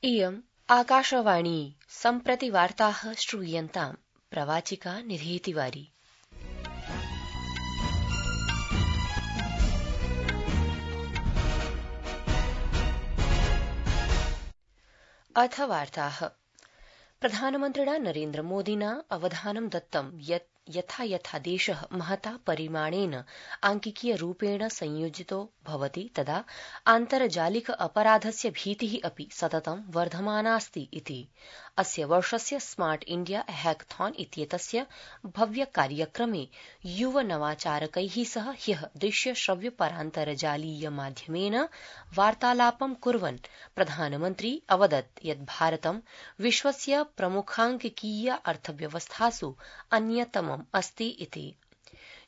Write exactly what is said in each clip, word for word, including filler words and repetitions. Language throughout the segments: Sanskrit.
इयम् आकाशवाणी सम्प्रति वार्ताः श्रूयन्ताम् प्रवाचिका निधि तिवारी। अथ वार्ताः। प्रधानमन्त्रिणा नरेन्द्र मोदिना अवधानं दत्तं यत् यथा यथा देशः महता परिमाणेन आंकिकीय रूपेण संयोजितो भवति तदा आन्तर्जालिक अपराधस्य भीतिः अपि सततं वर्धमानास्ति इति। अस्य वर्षस्य स्मार्ट इण्डिया हैकथॉन इत्येतस्य भव्य कार्यक्रमे युव नवाचारकैः सह ह्यः दृश्य श्रव्य परान्तर्जालीय माध्यमेन वार्तालापं कुर्वन् प्रधानमन्त्री अवदत् यत् भारतं विश्वस्य प्रमुखांकिकीय अर्थव्यवस्थासु अन्यतमम् अस्ति इति।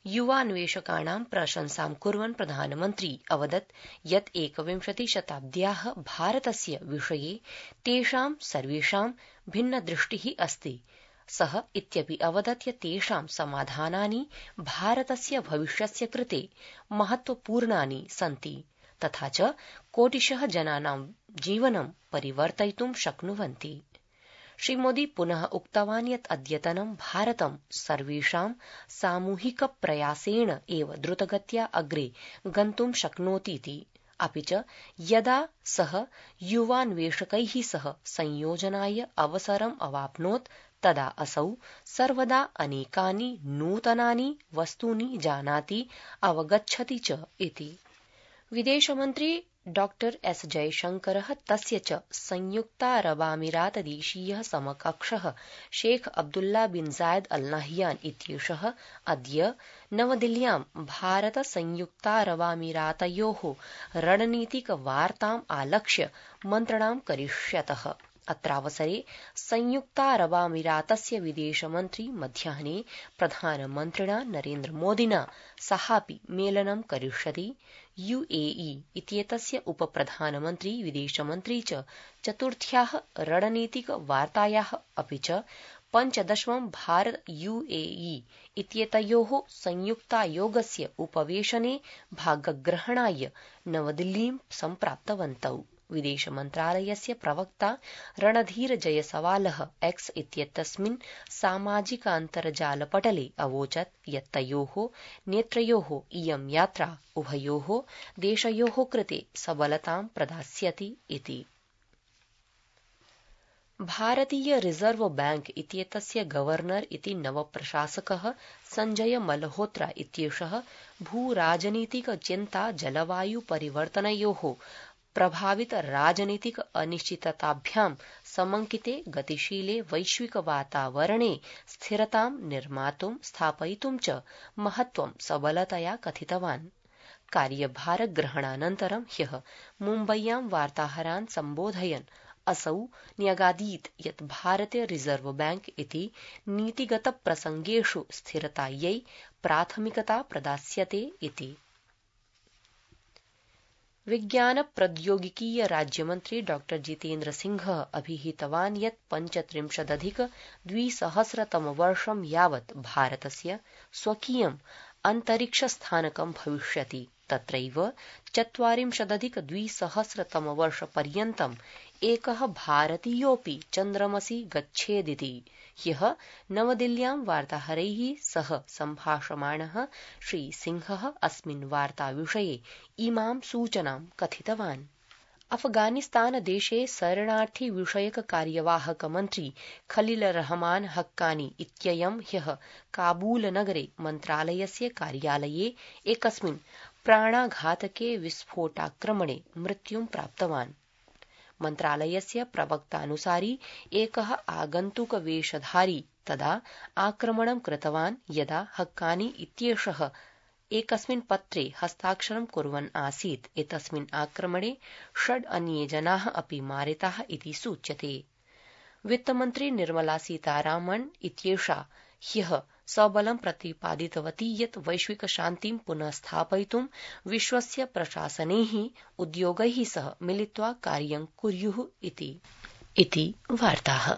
युवान्वेषकाणां प्रशंसां कुर्वन् प्रधानमन्त्री अवदत् यत् एकविंशति शताब्द्याः भारतस्य विषये तेषां सर्वेषां भिन्नदृष्टिः अस्ति। सः इत्यपि अवदत् यत् तेषां समाधानानि भारतस्य भविष्यस्य कृते महत्वपूर्णानि सन्ति तथा च कोटिशः जनानां जीवनं परिवर्तयितुं शक्नुवन्ति। श्रीमोदी पुनः उक्तवान् यत् अद्यतनं भारतं सर्वेषां सामूहिक प्रयासेण एव द्रुतगत्या अग्रे गन्तुं शक्नोतीति। अपि च यदा सः युवान्वेषकैः सह संयोजनाय अवसरम् अवाप्नोत् तदा असौ सर्वदा अनेकानि नूतनानि वस्तूनि जानाति अवगच्छति च इति। विदेशमन्त्री डॉक्टर एस जयशंकरः तस्य च संयुक्तारबामीरातदेशीयः समकक्षः शेख अब्दुल्ला बिन जायद अल नह्यान इत्येषः अद्य नवदिल्ल्यां भारत संयुक्तारबामीरातयोः रणनीतिक वार्ताम् आलक्ष्य मन्त्रणां करिष्यतः। अत्रावसरे संयुक्तारबामीरातस्य विदेशमन्त्री मध्याह्ने प्रधानमन्त्रिणा नरेन्द्र मोदिना सहापि मेलनं करिष्यति। यूएई इत्येतस्य उपप्रधानमन्त्री विदेशमन्त्री च चतुर्थ्याः रणनीतिक वार्तायाः अपि च पञ्चदशमं भारत यूएई इत्येतयोः संयुक्तायोगस्य उपवेशने भागग्रहणाय नवदिल्लीं सम्प्राप्तवन्तौ। विदेशमन्त्रालयस्य प्रवक्ता रणधीर जयसवालः एक्स इत्येतस्मिन् सामाजिकान्तर्जालपटले अवोचत् यत् तयोः नेत्रयोः इयं यात्रा उभयोः देशयोः कृते सबलतां प्रदास्यति इति। भारतीय रिजर्व बैंक इत्येतस्य गवर्नर इति नवप्रशासकः संजय मल्होत्रा इत्येषः भूराजनीतिक चिन्ता जलवायु परिवर्तनयोः प्रभावित राजनीतिक अनिश्चितताभ्यां समंकिते गतिशीले वैश्विक वातावरणे स्थिरतां निर्मातुं स्थापयितुं च महत्वं सबलतया कथितवान्। कार्यभारग्रहणानन्तरं ह्यः मुम्बय्यां वार्ताहरान् सम्बोधयन् असौ न्यगादीत् यत् भारतीय रिजर्व बैंक इति नीतिगत प्रसंगेषु स्थिरतायै प्राथमिकता प्रदास्यते इति। विज्ञान प्रौद्योगिकीय राज्यमन्त्री डॉक्टर जितेन्द्र सिंहः अभिहितवान् यत् पञ्चत्रिंशदधिक द्विसहस्रतमवर्षं यावत् भारतस्य स्वकीयम् अन्तरिक्षस्थानकं भविष्यति। तत्रैव चत्वारिंशदधिक द्विसहस्रतमवर्षपर्यन्तम् एकः भारतीयोऽपि चन्द्रमसि गच्छेदिति। ह्यः नवदिल्ल्यां वार्ताहरैः सह सम्भाषमाणः श्रीसिंहः अस्मिन् वार्ताविषये इमां सूचनां कथितवान्। अफगानिस्तानदेशे शरणार्थी विषयक कार्यवाहक मन्त्री खलील रहमान हक्कानी इत्ययं ह्यः काबूलनगरे मन्त्रालयस्य कार्यालये एकस्मिन् प्राणाघातके विस्फोटाक्रमणे मृत्युं प्राप्तवान्। मन्त्रालयस्य प्रवक्तानुसारि एकः आगन्तुकवेषधारी तदा आक्रमणं कृतवान् यदा हक्कानी इत्येषः एकस्मिन् पत्रे हस्ताक्षरं कुर्वन् आसीत्। एतस्मिन् आक्रमणे षड् अन्ये जनाः अपि मारिताः इति सूच्यते। वित्तमन्त्री निर्मला सीतारामन् इत्येषा ह्यः सबलं प्रतिपादितवती यत् वैश्विक शान्तिं पुनः स्थापयितुं विश्वस्य प्रशासनैः उद्योगैः सह मिलित्वा कार्यं कुर्युः इति। इति वार्ताः।